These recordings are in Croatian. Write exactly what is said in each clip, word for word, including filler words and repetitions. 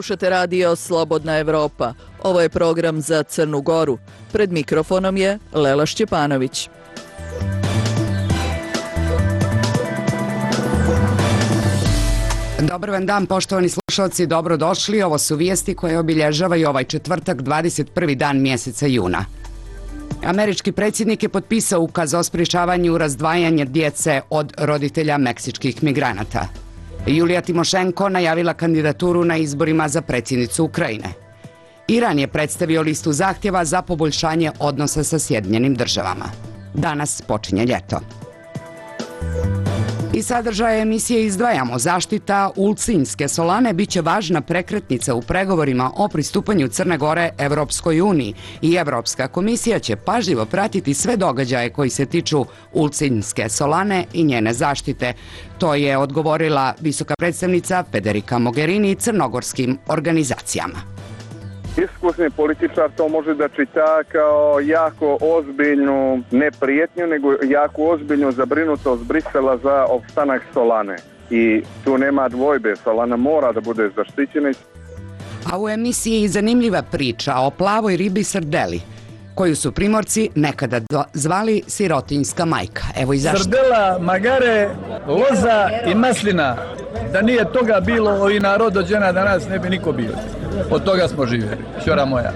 Slušate radio Slobodna Evropa. Ovo je program za Crnu Goru. Pred mikrofonom je Lela Šćepanović. Dobar vam dan, poštovani slušalci, dobrodošli. Ovo su vijesti koje obilježavaju ovaj četvrtak, dvadeset prvi dan mjeseca juna. Američki predsjednik je potpisao ukaz o sprječavanju razdvajanja djece od roditelja meksičkih migranata. Julija Timošenko najavila kandidaturu na izborima za predsjednicu Ukrajine. Iran je predstavio listu zahtjeva za poboljšanje odnosa sa Sjedinjenim državama. Danas počinje ljeto. Iz sadržaja emisije izdvajamo: zaštita Ulcinjske solane biće važna prekretnica u pregovorima o pristupanju Crne Gore Evropskoj uniji i Evropska komisija će pažljivo pratiti sve događaje koji se tiču Ulcinjske solane i njene zaštite. To je odgovorila visoka predstavnica Federica Mogherini crnogorskim organizacijama. Iskusni političar to može da čita kao jako ozbiljnu, ne prijetnju, nego jako ozbiljnu zabrinutost Brisela za opstanak Solane. I tu nema dvojbe, Solana mora da bude zaštićena. A u emisiji zanimljiva priča o plavoj ribi srdeli, koju su Primorci nekada zvali sirotinjska majka. Evo i zašto. Srdela, magare, loza i maslina. Da nije toga bilo, ovi narod dođena danas ne bi niko bio. Od toga smo živjeli. Ćora moja.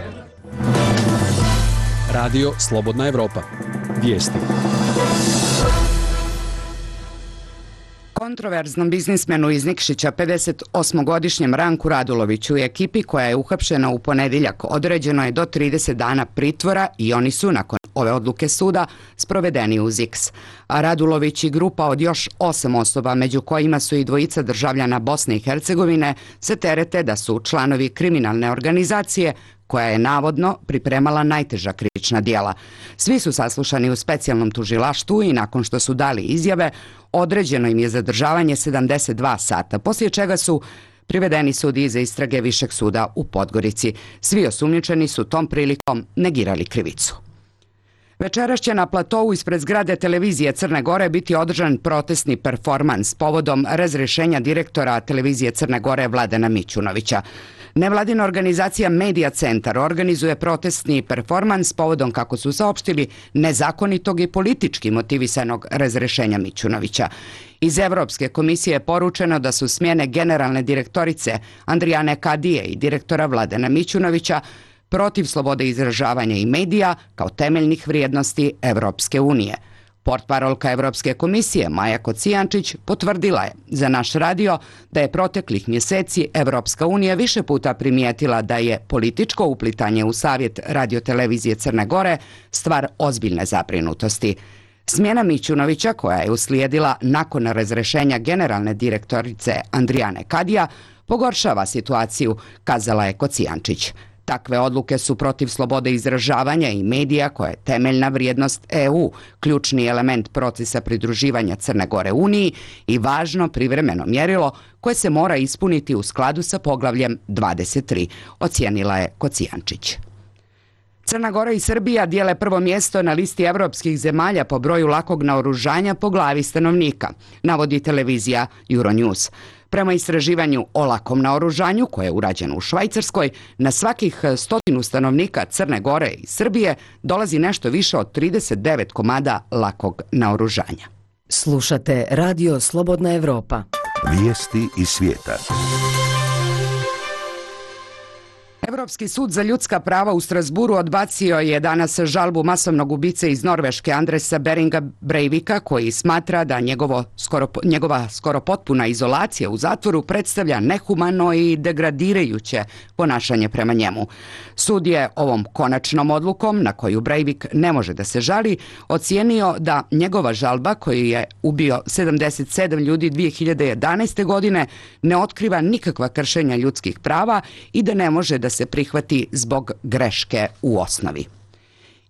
Radio Slobodna Evropa. Vijesti. Kontroverznom biznismenu iz Nikšića, pedeset osmogodišnjem Ranku Raduloviću i ekipi koja je uhapšena u ponedjeljak određeno je do trideset dana pritvora i oni su, nakon ove odluke suda, sprovedeni uz X. A Radulović i grupa od još osam osoba, među kojima su i dvojica državljana Bosne i Hercegovine, se terete da su članovi kriminalne organizacije koja je navodno pripremala najteža krivična djela. Svi su saslušani u specijalnom tužilaštvu i nakon što su dali izjave, određeno im je zadržavanje sedamdeset dva sata, poslije čega su privedeni sudiji za istrage Višeg suda u Podgorici. Svi osumnjičeni su tom prilikom negirali krivicu. Večeras će na platovu ispred zgrade televizije Crne Gore biti održan protestni performans povodom razrješenja direktora televizije Crne Gore Vladana Mićunovića. Nevladina organizacija Media Centar organizuje protestni performans povodom, kako su saopštili, nezakonitog i politički motivisanog razrješenja Mićunovića. Iz Evropske komisije je poručeno da su smjene generalne direktorice Andrijane Kadije i direktora Vladana Mićunovića protiv slobode izražavanja i medija kao temeljnih vrijednosti Evropske unije. Portparolka Evropske komisije Maja Kocijančić potvrdila je za naš radio da je proteklih mjeseci Evropska unija više puta primijetila da je političko uplitanje u savjet radiotelevizije Crne Gore stvar ozbiljne zabrinutosti. Smjena Mićunovića, koja je uslijedila nakon razrješenja generalne direktorice Andrijane Kadija, pogoršava situaciju, kazala je Kocijančić. Takve odluke su protiv slobode izražavanja i medija, koja je temeljna vrijednost E U, ključni element procesa pridruživanja Crne Gore Uniji i važno privremeno mjerilo koje se mora ispuniti u skladu sa poglavljem dvadeset tri, ocijenila je Kocijančić. Crna Gora i Srbija dijele prvo mjesto na listi evropskih zemalja po broju lakog naoružanja po glavi stanovnika, navodi televizija Euronews. Prema istraživanju o lakom naoružanju, koje je urađeno u Švajcarskoj, na svakih stotinu stanovnika Crne Gore i Srbije dolazi nešto više od trideset devet komada lakog naoružanja. Slušate radio Slobodna Evropa. Vijesti iz svijeta. Evropski sud za ljudska prava u Strasburu odbacio je danas žalbu masovnog ubice iz Norveške Andresa Beringa Breivika, koji smatra da njegovo skoro, njegova skoro potpuna izolacija u zatvoru predstavlja nehumano i degradirajuće ponašanje prema njemu. Sud je ovom konačnom odlukom, na koju Breivik ne može da se žali, ocijenio da njegova žalba, koju je ubio sedamdeset sedam ljudi dvije hiljade jedanaeste. godine, ne otkriva nikakva kršenja ljudskih prava i da ne može da se prihvati zbog greške u osnovi.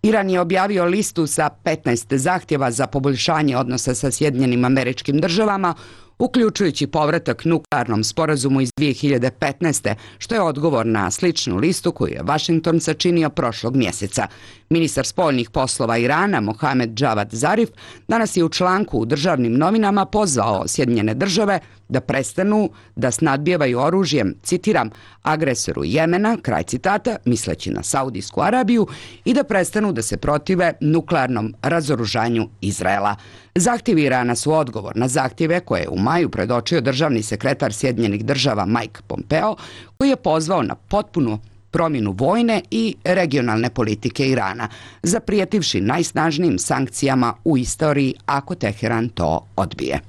Iran je objavio listu sa petnaest zahtjeva za poboljšanje odnosa sa Sjedinjenim Američkim Državama, uključujući povratak nuklearnom sporazumu iz dvije hiljade petnaeste. što je odgovor na sličnu listu koju je Vašington sačinio prošlog mjeseca. Ministar spoljnih poslova Irana Mohamed Javad Zarif danas je u članku u državnim novinama pozvao Sjedinjene države da prestanu da snadbijevaju oružjem, citiram, agresoru Jemena, kraj citata, misleći na Saudijsku Arabiju, i da prestanu da se protive nuklearnom razoružanju Izraela. Zahtjevi Irana su odgovor na zahtjeve koje je u maju predočio državni sekretar Sjedinjenih država Mike Pompeo, koji je pozvao na potpunu promjenu vojne i regionalne politike Irana, zaprijetivši najsnažnijim sankcijama u istoriji ako Teheran to odbije.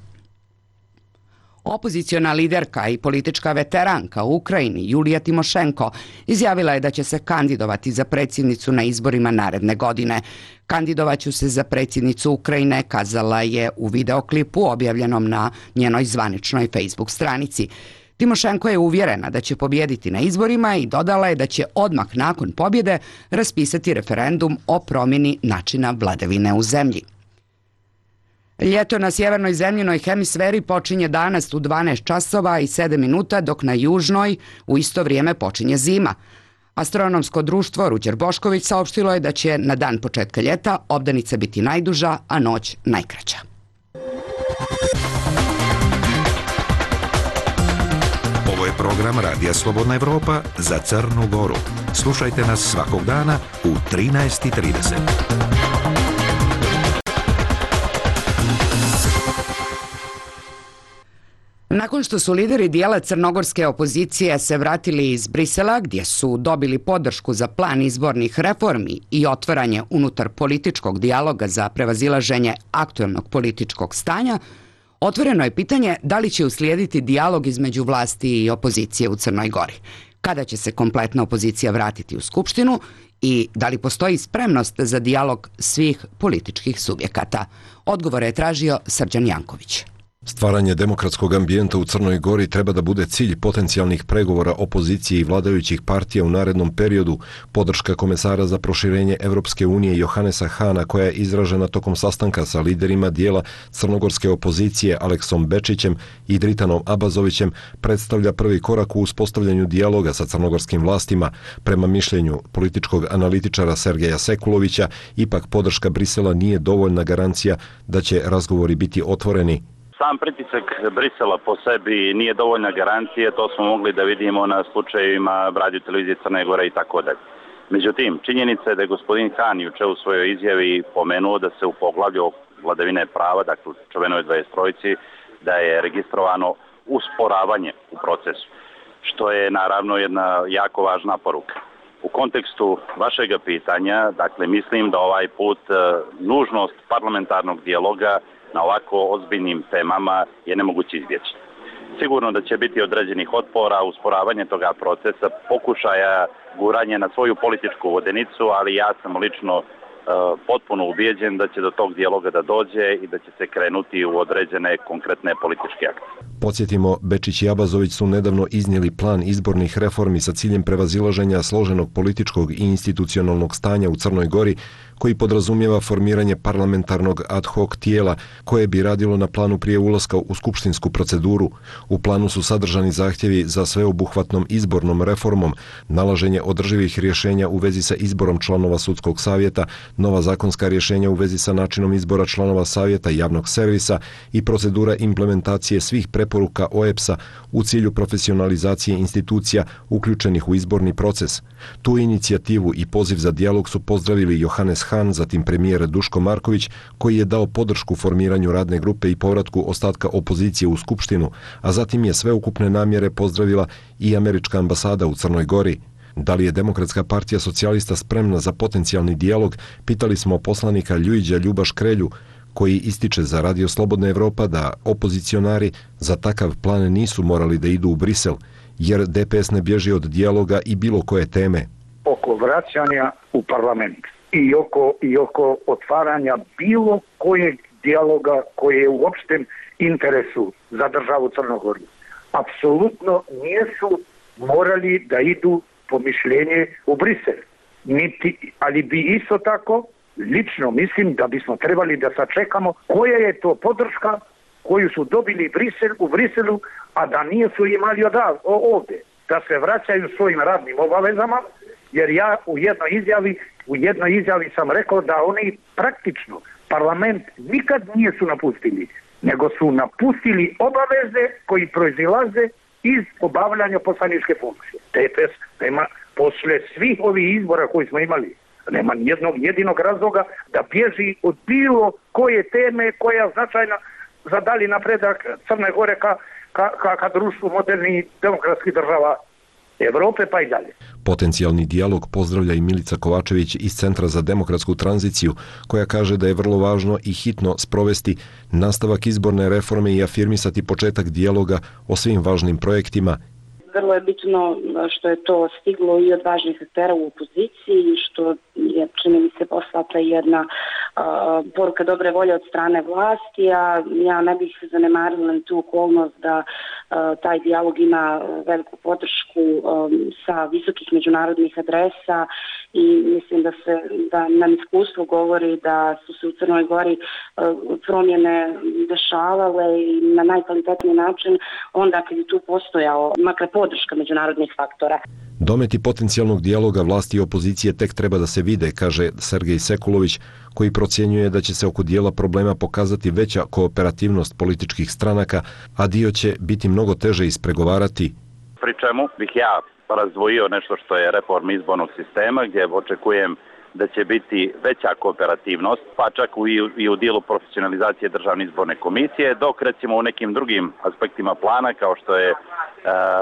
Opoziciona liderka i politička veteranka u Ukrajini Julija Timošenko izjavila je da će se kandidovati za predsjednicu na izborima naredne godine. Kandidovaću se za predsjednicu Ukrajine, kazala je u videoklipu objavljenom na njenoj zvaničnoj Facebook stranici. Timošenko je uvjerena da će pobijediti na izborima i dodala je da će odmah nakon pobjede raspisati referendum o promjeni načina vladavine u zemlji. Ljeto na sjevernoj zemljinoj hemisferi počinje danas u dvanaest časova i sedam minuta, dok na južnoj u isto vrijeme počinje zima. Astronomsko društvo Ruđer Bošković saopštilo je da će na dan početka ljeta obdanica biti najduža, a noć najkraća. Ovo je program Radija Slobodna Evropa za Crnu Goru. Slušajte nas svakog dana u trinaest i trideset. Nakon što su lideri dijela crnogorske opozicije se vratili iz Brisela, gdje su dobili podršku za plan izbornih reformi i otvaranje unutar političkog dijaloga za prevazilaženje aktuelnog političkog stanja, otvoreno je pitanje da li će uslijediti dijalog između vlasti i opozicije u Crnoj Gori, kada će se kompletna opozicija vratiti u Skupštinu i da li postoji spremnost za dijalog svih političkih subjekata. Odgovore je tražio Srđan Janković. Stvaranje demokratskog ambijenta u Crnoj Gori treba da bude cilj potencijalnih pregovora opozicije i vladajućih partija u narednom periodu. Podrška komesara za proširenje Evropske unije Johanesa Hana, koja je izražena tokom sastanka sa liderima dijela crnogorske opozicije Aleksom Bečićem i Dritanom Abazovićem, predstavlja prvi korak u uspostavljanju dijaloga sa crnogorskim vlastima. Prema mišljenju političkog analitičara Sergeja Sekulovića, ipak podrška Brisela nije dovoljna garancija da će razgovori biti otvoreni. Sam pritisak Brisela po sebi nije dovoljna garancija, to smo mogli da vidimo na slučajevima Radio televizije Crne Gore i tako dalje. Međutim, činjenica je da je gospodin Han juče u svojoj izjavi pomenuo da se u poglavlju vladavine prava, dakle u čuvenoj dvadeset trojici, da je registrovano usporavanje u procesu, što je naravno jedna jako važna poruka. U kontekstu vašeg pitanja, dakle, mislim da ovaj put nužnost parlamentarnog dijaloga na ovako ozbiljnim temama je nemoguće izbjeći. Sigurno da će biti određenih otpora, usporavanje toga procesa, pokušaja guranja na svoju političku vodenicu, ali ja sam lično e, potpuno ubijeđen da će do tog dijaloga da dođe i da će se krenuti u određene konkretne političke akcije. Podsjetimo, Bečić i Abazović su nedavno iznijeli plan izbornih reformi sa ciljem prevazilaženja složenog političkog i institucionalnog stanja u Crnoj Gori, koji podrazumijeva formiranje parlamentarnog ad hoc tijela koje bi radilo na planu prije ulaska u skupštinsku proceduru. U planu su sadržani zahtjevi za sveobuhvatnom izbornom reformom, nalaženje održivih rješenja u vezi sa izborom članova sudskog savjeta, nova zakonska rješenja u vezi sa načinom izbora članova savjeta javnog servisa i procedura implementacije svih preporuka O E B S-a u cilju profesionalizacije institucija uključenih u izborni proces. Tu inicijativu i poziv za dijalog su pozdravili Johannes Han, zatim premijer Duško Marković, koji je dao podršku formiranju radne grupe i povratku ostatka opozicije u Skupštinu, a zatim je sveukupne namjere pozdravila i američka ambasada u Crnoj Gori. Da li je Demokratska partija socijalista spremna za potencijalni dijalog, pitali smo poslanika Ljujića Ljuba Škrelju, koji ističe za Radio Slobodna Evropa da opozicionari za takav plan nisu morali da idu u Brisel, jer D P S ne bježi od dijaloga i bilo koje teme. Oko vraćanja u parlament i oko, i oko otvaranja bilo kojeg dijaloga koji je u opštem interesu za državu Crnogoru. Apsolutno nisu morali da idu po mišljenje u Brisel. Niti, ali bi isto tako, lično mislim da bismo trebali da sačekamo koja je to podrška koju su dobili Brisel, u Briselu, a da nisu imali od ovdje, da se vraćaju svojim radnim obavezama, jer ja u jednoj izjavi, u jednoj izjavi sam rekao da oni praktično parlament nikad nisu napustili, nego su napustili obaveze koji proizilaze iz obavljanja poslaničke funkcije. T P S nema, posle svih ovih izbora koji smo imali, nema nijednog jedinog razloga da bježi od bilo koje teme koja je značajna za dalji napredak Crne Gore ka, ka, ka, ka društvu modernih demokratskih država Evrope pa i dalje. Potencijalni dijalog pozdravlja i Milica Kovačević iz Centra za demokratsku tranziciju, koja kaže da je vrlo važno i hitno sprovesti nastavak izborne reforme i afirmisati početak dijaloga o svim važnim projektima. Vrlo je bitno što je to stiglo i od važnih aktera u opoziciji, što je, čini mi se, poslata jedna uh, poruka dobre volje od strane vlasti, a ja ne bih zanemarila tu okolnost da uh, taj dijalog ima veliku podršku um, sa visokih međunarodnih adresa i mislim da se da nam iskustvo govori da su se u Crnoj Gori uh, promjene dešavale i na najkvalitetniji način onda kad je tu postojao makar podrška međunarodnih faktora. Dometi potencijalnog dijaloga vlasti i opozicije tek treba da se vide, kaže Sergej Sekulović, koji procjenjuje da će se oko dijela problema pokazati veća kooperativnost političkih stranaka, a dio će biti mnogo teže ispregovarati. Pri čemu bih ja razdvojio nešto što je reforma izbornog sistema, gdje očekujem da će biti veća kooperativnost, pa čak i u dijelu profesionalizacije Državne izborne komisije, dok recimo u nekim drugim aspektima plana, kao što je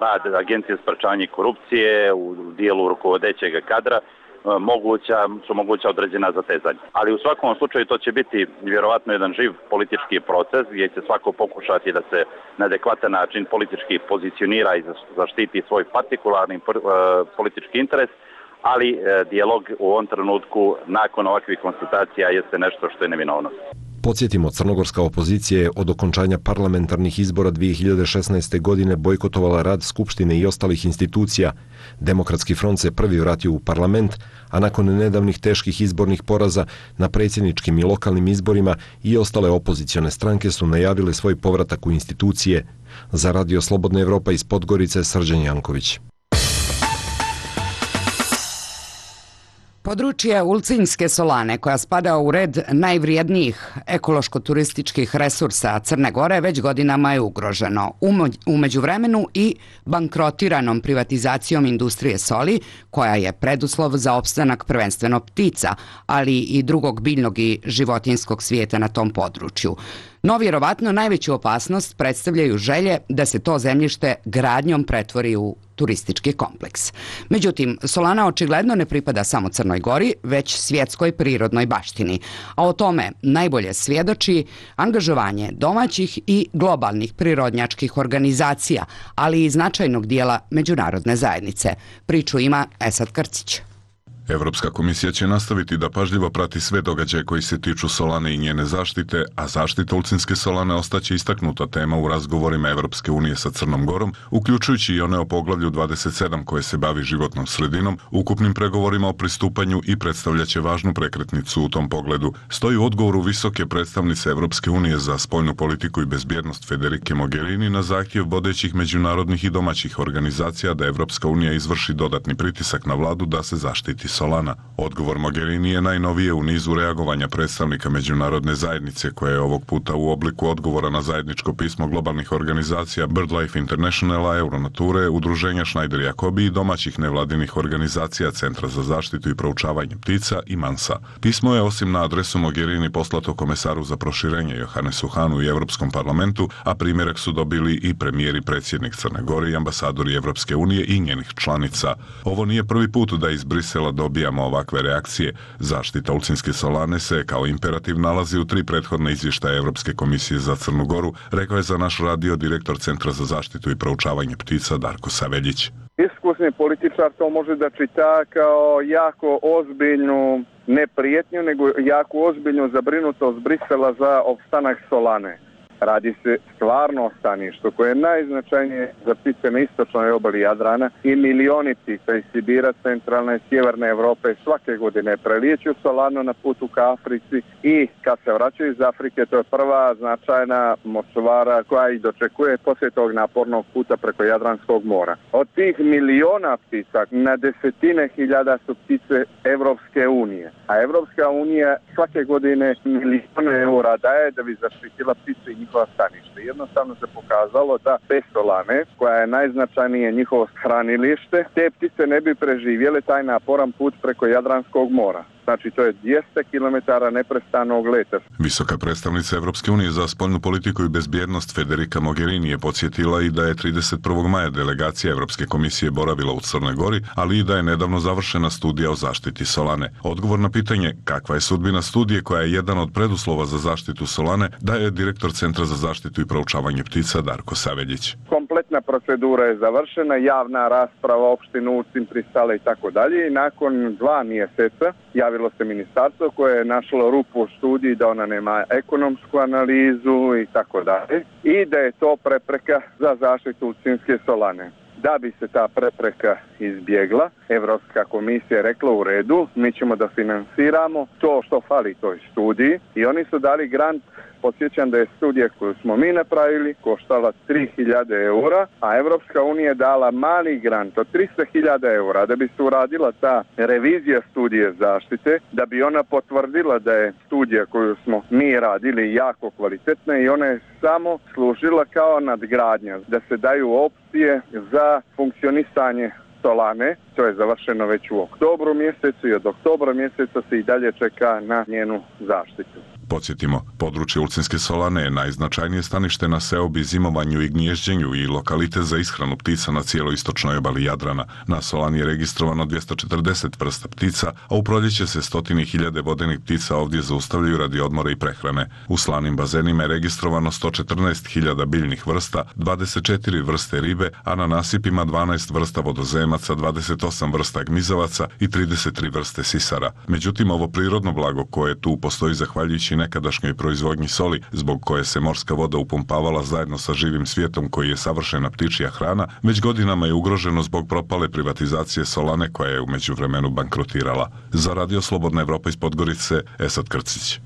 rad Agencije za sprečavanje korupcije, u dijelu rukovodećeg kadra, moguća, su moguća određena zatezanja. Ali u svakom slučaju to će biti vjerovatno jedan živ politički proces gdje će svako pokušati da se na adekvatan način politički pozicionira i zaštiti svoj partikularni politički interes, ali e, dijalog u ovom trenutku nakon ovakvih konstatacija jeste nešto što je neminovno. Podsjetimo, crnogorska opozicija je od okončanja parlamentarnih izbora dvije hiljade šesnaeste. godine bojkotovala rad Skupštine i ostalih institucija. Demokratski front se prvi vratio u parlament, a nakon nedavnih teških izbornih poraza na predsjedničkim i lokalnim izborima i ostale opozicione stranke su najavile svoj povratak u institucije. Za Radio Slobodna Evropa iz Podgorice, Srđan Janković. Područje Ulcinjske solane, koja spada u red najvrijednijih ekološko-turističkih resursa Crne Gore, već godinama je ugroženo. U međuvremenu i bankrotiranom privatizacijom industrije soli, koja je preduslov za opstanak prvenstveno ptica, ali i drugog biljnog i životinjskog svijeta na tom području. No, vjerovatno najveću opasnost predstavljaju želje da se to zemljište gradnjom pretvori u turistički kompleks. Međutim, solana očigledno ne pripada samo Crnoj Gori, već svjetskoj prirodnoj baštini. A o tome najbolje svjedoči angažovanje domaćih i globalnih prirodnjačkih organizacija, ali i značajnog dijela međunarodne zajednice. Priču ima Esad Krcić. Evropska komisija će nastaviti da pažljivo prati sve događaje koji se tiču solane i njene zaštite, a zaštita Ulcinjske solane ostaće istaknuta tema u razgovorima Evropske unije sa Crnom Gorom, uključujući i one o poglavlju dvadeset sedam koje se bavi životnom sredinom, ukupnim pregovorima o pristupanju i predstavljaće važnu prekretnicu u tom pogledu. Stoji u odgovoru visoke predstavnice Evropske unije za spoljnu politiku i bezbjednost Federike Mogherini na zahtjev vodećih međunarodnih i domaćih organizacija da Evropska unija izvrši dodatni pritisak na vladu da se zaštiti solana. Odgovor Mogherini je najnovije u nizu reagovanja predstavnika međunarodne zajednice, koja je ovog puta u obliku odgovora na zajedničko pismo globalnih organizacija BirdLife Internationala, Euronature, udruženja Schneider Jacobi i domaćih nevladinih organizacija Centra za zaštitu i proučavanje ptica i Mansa. Pismo je osim na adresu Mogherini poslato komesaru za proširenje Johannesu Hahnu i Europskom parlamentu, a primjerak su dobili i premijer i predsjednik Crne Gore i ambasadori Evropske unije i njenih članica. Ovo nije prvi put da iz Brisela dobijamo ovakve reakcije. Zaštita Ulcinjske solane se kao imperativ nalazi u tri prethodne izvještaje Evropske komisije za Crnu Goru, rekao je za naš radio direktor Centra za zaštitu i proučavanje ptica Darko Saveljić. Iskusni političar to može da čita kao jako ozbiljnu ne prijetnju, nego jako ozbiljnu zabrinutost Brisela za opstanak solane. Radi se stvarno o staništu koje je najznačajnije za ptice na istočnoj obali Jadrana i milioni ptica iz Sibira, centralne i sjeverne Europe svake godine prelijeću Solanu na putu ka Africi i kad se vraćaju iz Afrike, to je prva značajna močvara koja i dočekuje poslije tog napornog puta preko Jadranskog mora. Od tih miliona ptica na desetine hiljada su ptice Evropske unije, a Evropska unija svake godine milijone eura daje da bi zaštitila ptice i njihova stanište. Jednostavno se pokazalo da bez Solane, koja je najznačajnije njihovo hranilište, te ptice ne bi preživjele taj naporan put preko Jadranskog mora. Znači, to je dvjesto kilometara neprestanog leta. Visoka predstavnica Evropske unije za spoljnu politiku i bezbjednost Federica Mogherini je podsjetila i da je trideset prvog maja delegacija Evropske komisije boravila u Crnoj Gori, ali i da je nedavno završena studija o zaštiti Solane. Odgovor na pitanje kakva je sudbina studije koja je jedan od preduslova za zaštitu Solane daje direktor Centra za zaštitu i proučavanje ptica Darko Saveljić. Kompletna procedura je završena, javna rasprava, opštinu Ucin, pristale i tako dalje i nakon dva mjeseca javilo se ministarstvo koje je našlo rupu u studiji da ona nema ekonomsku analizu i tako dalje i da je to prepreka za zaštitu Ucinske Solane. Da bi se ta prepreka izbjegla, Evropska komisija je rekla u redu, mi ćemo da finansiramo to što fali toj studiji i oni su dali grant. Podsjećam da je studija koju smo mi napravili koštala tri hiljade eura, a Evropska unija je dala mali grant od tristo hiljada eura da bi se uradila ta revizija studije zaštite, da bi ona potvrdila da je studija koju smo mi radili jako kvalitetna i ona je samo služila kao nadgradnja, da se daju opcije za funkcionisanje Solane. To je završeno već u oktobru mjesecu i od oktobra mjeseca se i dalje čeka na njenu zaštitu. Podsjetimo, područje Ulcinske Solane je najznačajnije stanište na seobi, zimovanju i gnježđenju i lokalitet za ishranu ptica na cijeloj istočnoj obali Jadrana. Na Solani je registrovano dvjesto četrdeset vrsta ptica, a u proljeće se stotine hiljade vodenih ptica ovdje zaustavljaju radi odmora i prehrane. U slanim bazenima je registrovano sto četrnaest hiljada biljnih vrsta, dvadeset četiri vrste ribe, a na nasipima dvanaest vrsta vodozemaca, dvadeset osam vrsta gmizavaca i trideset tri vrste sisara. Međutim, ovo prirodno blago koje tu postoji zahvaljujući nekadašnjoj proizvodnji soli, zbog koje se morska voda upumpavala zajedno sa živim svijetom koji je savršena ptičja hrana, već godinama je ugroženo zbog propale privatizacije Solane koja je u međuvremenu bankrotirala. Za Radio Slobodna Evropa iz Podgorice, Esad Krcić.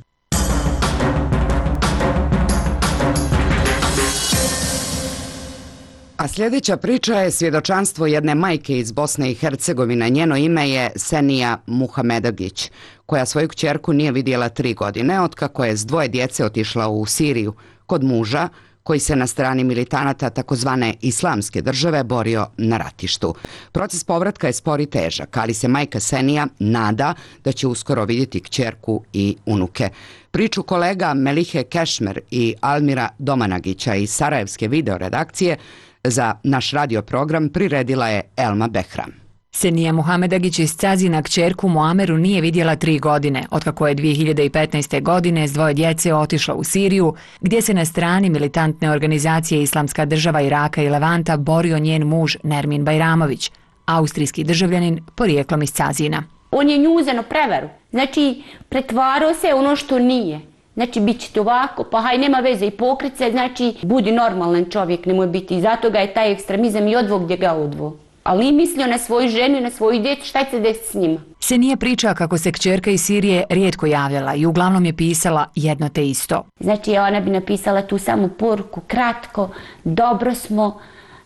A sljedeća priča je svjedočanstvo jedne majke iz Bosne i Hercegovine. Njeno ime je Senija Muhamedagić, koja svoju kćerku nije vidjela tri godine, otkako je s dvoje djece otišla u Siriju kod muža, koji se na strani militanata takozvane islamske države borio na ratištu. Proces povratka je spor i težak, ali se majka Senija nada da će uskoro vidjeti kćerku i unuke. Priču kolega Melihe Kešmer i Almira Domanagića iz Sarajevske videoredakcije za naš radio program priredila je Elma Behram. Senija Muhamedagić iz Cazina kćerku Muameru nije vidjela tri godine, otkako je dvije hiljade petnaeste. godine s dvoje djece otišla u Siriju, gdje se na strani militantne organizacije Islamska država Iraka i Levanta borio njen muž Nermin Bajramović, austrijski državljanin porijeklom iz Cazina. On je nju uzeo prevaru, znači pretvarao se ono što nije. Znači, bit će to ovako, pa haj, nema veze i pokrit se, znači, budi normalan čovjek, nemoj biti. I zato ga je taj ekstremizam i odvog gdje ga odvo. Ali nije mislio na svoju ženu i na svoju djecu, šta će se desiti s njima. Senija priča kako se kćerka iz Sirije rijetko javljala i uglavnom je pisala jedno te isto. Znači, ona bi napisala tu samu poruku, kratko, dobro smo,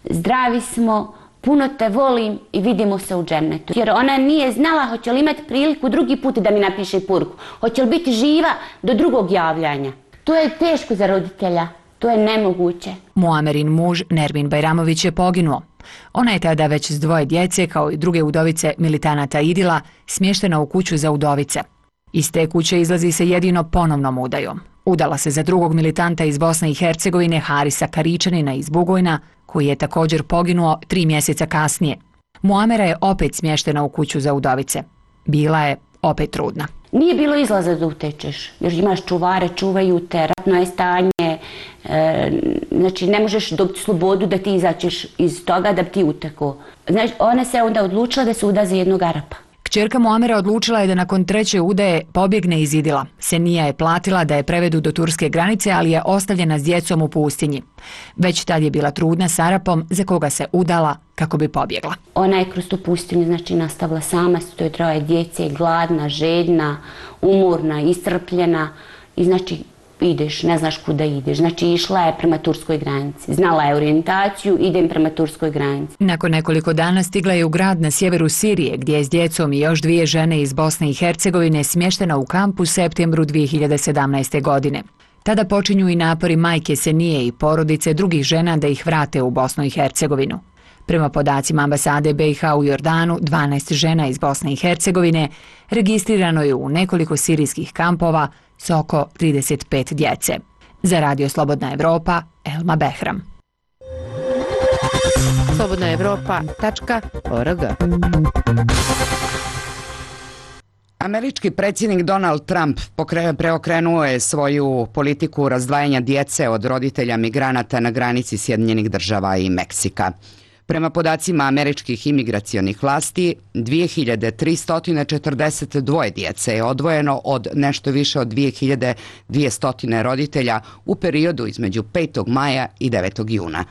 zdravi smo, puno te volim i vidimo se u džennetu. Jer ona nije znala hoće li imati priliku drugi put da mi napiše poruku. Hoće li biti živa do drugog javljanja. To je teško za roditelja. To je nemoguće. Muamerin muž Nermin Bajramović je poginuo. Ona je tada već s dvoje djece, kao i druge udovice militanata Idila, smještena u kuću za udovice. Iz te kuće izlazi se jedino ponovnom udajom. Udala se za drugog militanta iz Bosne i Hercegovine, Harisa Karičanina iz Bugojna, koji je također poginuo tri mjeseca kasnije. Muamera je opet smještena u kuću za udovice. Bila je opet trudna. Nije bilo izlaza da utečeš, jer imaš čuvare, čuvaju te, ratno je stanje, e, znači ne možeš dobiti slobodu da ti izaćeš iz toga da bi ti utekao. Znači, ona se onda odlučila da se uda za jednog Arapa. Kćerka Muamera odlučila je da nakon treće udaje pobjegne iz Idila. Senija je platila da je prevedu do turske granice, ali je ostavljena s djecom u pustinji. Već tad je bila trudna s Arapom za koga se udala kako bi pobjegla. Ona je kroz tu pustinju znači nastavila sama s toj troje djece, gladna, željna, umorna, iscrpljena i znači ideš, ne znaš kuda ideš. Znači išla je prema turskoj granici. Znala je orijentaciju, idem prema turskoj granici. Nakon nekoliko dana stigla je u grad na sjeveru Sirije, gdje je s djecom i još dvije žene iz Bosne i Hercegovine smještena u kamp u septembru dvije hiljade sedamnaeste. godine. Tada počinju i napori majke Senije i porodice drugih žena da ih vrate u Bosnu i Hercegovinu. Prema podacima ambasade B i H u Jordanu, dvanaest žena iz Bosne i Hercegovine registrirano je u nekoliko sirijskih kampova s oko trideset pet djece. Za Radio Slobodna Evropa, Elma Behram. slobodna evropa tačka org. Američki predsjednik Donald Trump preokrenuo je svoju politiku razdvajanja djece od roditelja migranata na granici Sjedinjenih Država i Meksika. Prema podacima američkih imigracionih vlasti, dvije hiljade tristo četrdeset dva djece je odvojeno od nešto više od dvije hiljade dvjesto roditelja u periodu između petog maja i devetog juna.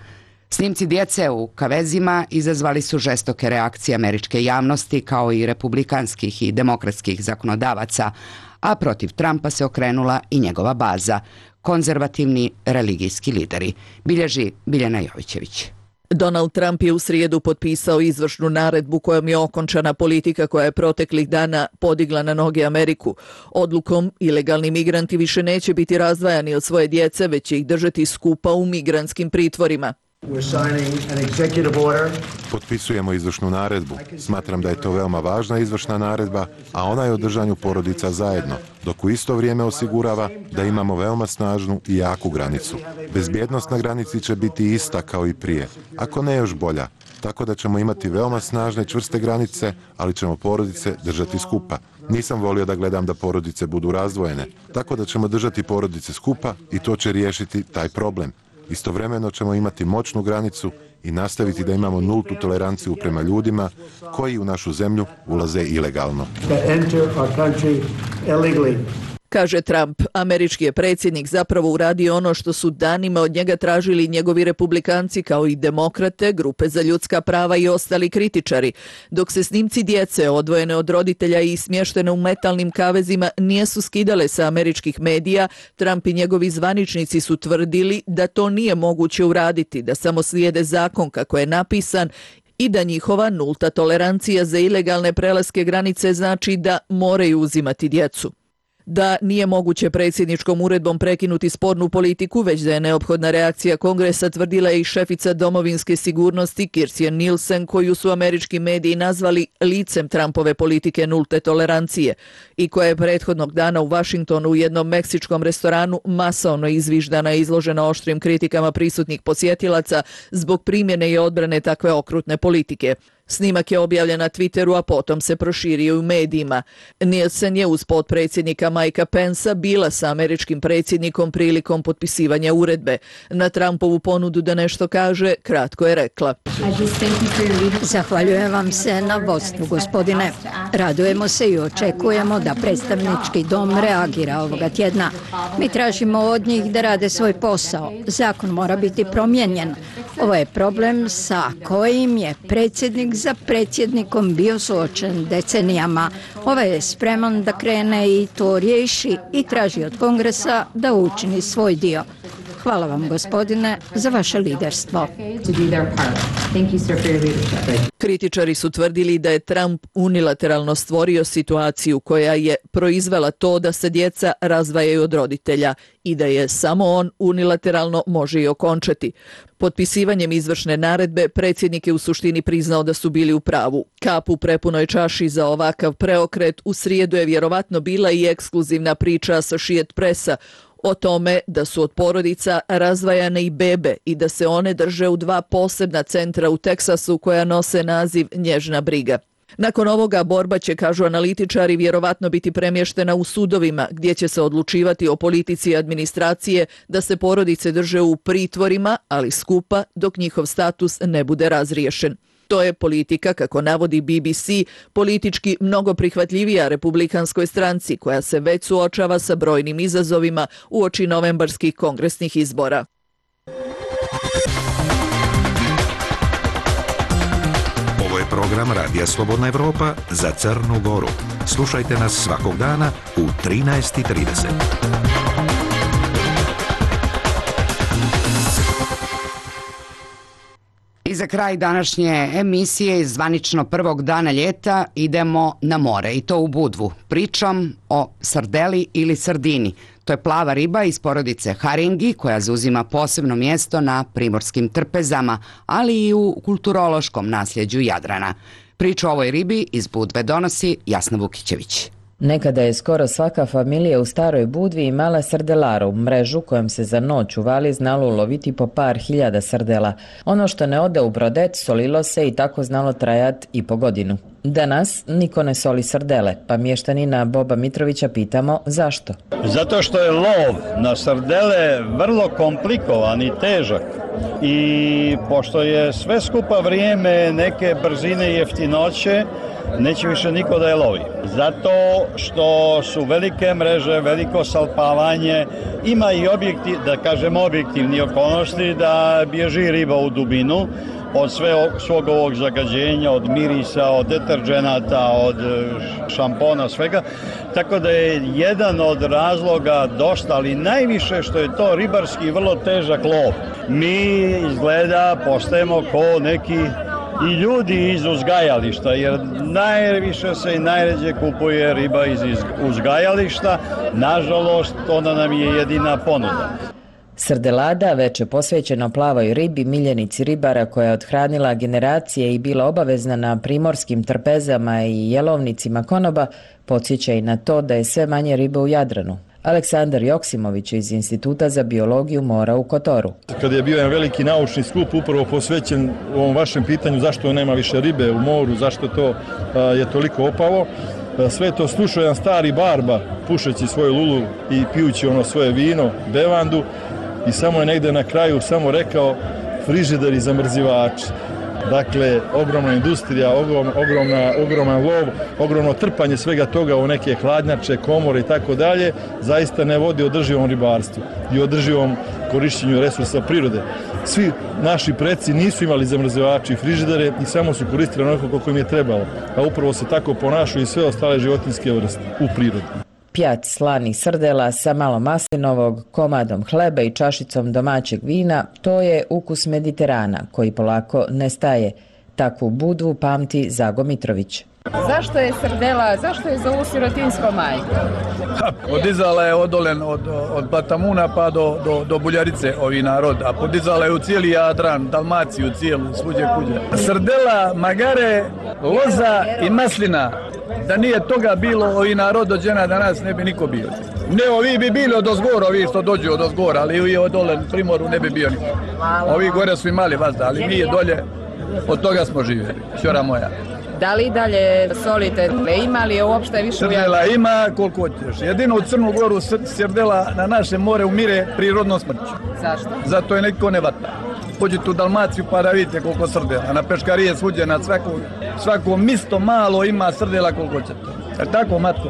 Snimci djece u kavezima izazvali su žestoke reakcije američke javnosti kao i republikanskih i demokratskih zakonodavaca, a protiv Trumpa se okrenula i njegova baza, konzervativni religijski lideri, bilježi Biljana Jovićević. Donald Trump je u srijedu potpisao izvršnu naredbu kojom je okončana politika koja je proteklih dana podigla na noge Ameriku. Odlukom ilegalni migranti više neće biti razdvajani od svoje djece, već će ih držati skupa u migrantskim pritvorima. Potpisujemo izvršnu naredbu. Smatram da je to veoma važna izvršna naredba, a ona je o držanju porodica zajedno, dok u isto vrijeme osigurava da imamo veoma snažnu i jaku granicu. Bezbjednost na granici će biti ista kao i prije, ako ne još bolja, tako da ćemo imati veoma snažne čvrste granice, ali ćemo porodice držati skupa. Nisam volio da gledam da porodice budu razdvojene, tako da ćemo držati porodice skupa i to će riješiti taj problem. Istovremeno ćemo imati moćnu granicu i nastaviti da imamo nultu toleranciju prema ljudima koji u našu zemlju ulaze ilegalno. Kaže Trump, američki je predsjednik zapravo uradio ono što su danima od njega tražili njegovi republikanci kao i demokrate, grupe za ljudska prava i ostali kritičari. Dok se snimci djece odvojene od roditelja i smještene u metalnim kavezima nisu skidale sa američkih medija, Trump i njegovi zvaničnici su tvrdili da to nije moguće uraditi, da samo slijede zakon kako je napisan i da njihova nulta tolerancija za ilegalne prelaske granice znači da moraju uzimati djecu. Da nije moguće predsjedničkom uredbom prekinuti spornu politiku, već da je neophodna reakcija Kongresa, tvrdila je i šefica domovinske sigurnosti Kirstjen Nielsen, koju su američki mediji nazvali licem Trumpove politike nulte tolerancije i koja je prethodnog dana u Washingtonu u jednom meksičkom restoranu masovno izviždana i izložena oštrim kritikama prisutnih posjetilaca zbog primjene i odbrane takve okrutne politike. Snimak je objavljen na Twitteru, a potom se proširio u medijima. Nielsen je uz potpredsjednika Mikea Pensa bila sa američkim predsjednikom prilikom potpisivanja uredbe. Na Trumpovu ponudu da nešto kaže, kratko je rekla: Zahvaljujem vam se na vodstvu, gospodine. Radujemo se i očekujemo da predstavnički dom reagira ovoga tjedna. Mi tražimo od njih da rade svoj posao. Zakon mora biti promijenjen. Ovo je problem sa kojim je predsjednik za predsjednikom bio suočen decenijama. Ovaj je spreman da krene i to riješi i traži od Kongresa da učini svoj dio. Hvala vam, gospodine, za vaše liderstvo. Kritičari su tvrdili da je Trump unilateralno stvorio situaciju koja je proizvela to da se djeca razdvajaju od roditelja i da je samo on unilateralno može i okončati. Potpisivanjem izvršne naredbe predsjednik je u suštini priznao da su bili u pravu. Kap u prepunoj čaši za ovakav preokret u srijedu je vjerovatno bila i ekskluzivna priča Associated Pressa o tome da su od porodica razdvajane i bebe i da se one drže u dva posebna centra u Teksasu koja nose naziv Nježna briga. Nakon ovoga borba će, kažu analitičari, vjerovatno biti premještena u sudovima gdje će se odlučivati o politici administracije da se porodice drže u pritvorima, ali skupa dok njihov status ne bude razriješen. To je politika, kako navodi B B C, politički mnogo prihvatljivija republikanskoj stranci koja se već suočava sa brojnim izazovima uoči novembarskih kongresnih izbora. Ovo je program Radija Slobodna Evropa za Crnu Goru. Slušajte nas svakog dana u trinaest i trideset. I za kraj današnje emisije iz zvanično prvog dana ljeta idemo na more i to u Budvu. Pričam o sardeli ili sardini. To je plava riba iz porodice haringi koja zauzima posebno mjesto na primorskim trpezama, ali i u kulturološkom nasljeđu Jadrana. Priču o ovoj ribi iz Budve donosi Jasna Vukićević. Nekada je skoro svaka familija u Staroj Budvi imala srdelaru, mrežu kojom se za noć u vali znalo uloviti po par hiljada srdela. Ono što ne ode u brodet solilo se i tako znalo trajat i po godinu. Danas niko ne soli srdele, pa mještanina Boba Mitrovića pitamo zašto. Zato što je lov na srdele vrlo komplikovan i težak. I pošto je sve skupa vrijeme neke brzine i jeftinoće, neće više niko da je lovi. Zato što su velike mreže, veliko salpavanje, ima i objektiv, da kažem objektivni okolnosti da bježi riba u dubinu od sve, svog ovog zagađenja, od mirisa, od deterđenata, od šampona, svega. Tako da je jedan od razloga dosta, ali najviše što je to ribarski vrlo težak lov. Mi izgleda postajemo ko neki i ljudi iz uzgajališta, jer najviše se i najređe kupuje riba iz uzgajališta. Nažalost, ona nam je jedina ponuda. Srdelada, veče posvećeno plavoj ribi, miljenici ribara koja je othranila generacije i bila obavezna na primorskim trpezama i jelovnicima konoba, podsjeća i na to da je sve manje ribe u Jadranu. Aleksandar Joksimović iz Instituta za biologiju mora u Kotoru. Kada je bio jedan veliki naučni skup upravo posvećen ovom vašem pitanju zašto nema više ribe u moru, zašto to a, je toliko opalo, sve to slušao jedan stari barba pušeći svoju lulu i pijući ono svoje vino, bevandu, i samo je negde na kraju samo rekao frižider i zamrzivači. Dakle, ogromna industrija, ogrom, ogromna, ogroman lov, ogromno trpanje svega toga u neke hladnjače, komore i tako dalje, zaista ne vodi održivom ribarstvu i održivom korišćenju resursa prirode. Svi naši preci nisu imali zamrzivači i frižidere i samo su koristili onoliko koliko im je trebalo, a upravo se tako ponašaju i sve ostale životinjske vrste u prirodi. Pjat slanih srdela sa malo maslinovog, komadom hleba i čašicom domaćeg vina, to je ukus Mediterana koji polako nestaje. Takvu Budvu pamti Zago Mitrović. Zašto je srdela, zašto je zovu sirotinsko majko? Podizala je odolen od, od Batamuna pa do, do, do Buljarice ovi narod, a podizala je u cijeli Jadran, Dalmaciju cijelu, svuđe kuđe. Srdela, magare, loza i maslina. Da nije toga bilo, ovi narod dođena danas ne bi niko bio. Ne, ovi bi bili od ozgora, ovi što dođu od ozgora, ali ovi od dole primoru ne bi bio niko. Ovi gore su imali vazda, ali mi je dolje, od toga smo živjeli, ćora moja. Da li dalje solite? Ima li je uopšte više? Srdela ima koliko hoćeš. Jedino u Crnu Goru srdela na naše more umire prirodnom smrću. Zašto? Zato je neko ne vata. Pođite u Dalmaciju pa da vidite koliko srdela. Na peškarije svuđe, na svako, svako misto malo ima srdela koliko ćete. E tako, matko?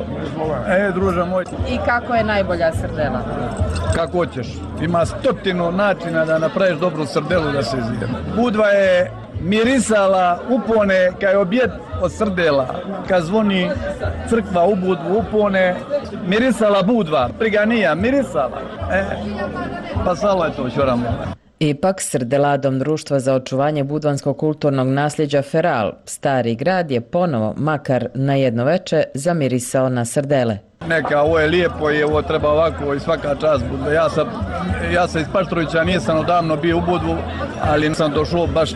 E, druža moj. I kako je najbolja srdela? Kako hoćeš. Ima stotinu načina da napraviš dobru srdelu da se izvije. Budva je mirisala upone kad je objet od srdela, kad zvoni crkva u Budvu upone, mirisala Budva, priganija, mirisala. E, pa salo je to ćoramo. Ipak, srdeladom Društva za očuvanje budvanskog kulturnog nasljeđa Feral, Stari grad je ponovo, makar na jedno veče, zamirisao na srdele. Neka, ovo je lijepo i ovo treba ovako i svaka čast Budve. Ja sam, ja sam iz Paštrovića, nisam odavno bio u Budvu, ali sam došao baš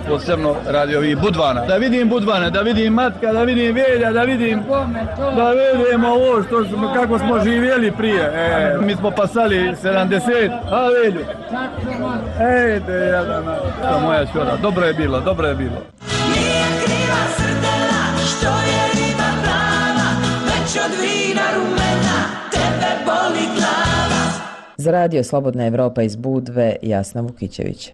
posebno radi ovih Budvana. Da vidim Budvane, da vidim Matka, da vidim Velja, da vidim, da vidimo ovo što smo, kako smo živjeli prije. E, mi smo pasali sedamdeset, a Velju. Ej, te jadana, to moja čora, dobro je bilo, dobro je bilo. Nije kriva srdela, što je riba plava, već od vina rumena, tebe boli glava. Za radio Slobodna Evropa iz Budve, Jasna Vukićević.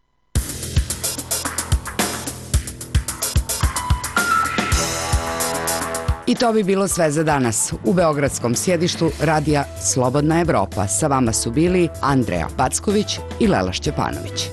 I to bi bilo sve za danas. U beogradskom sjedištu radija Slobodna Evropa sa vama su bili Andreja Packović i Lela Šćepanović.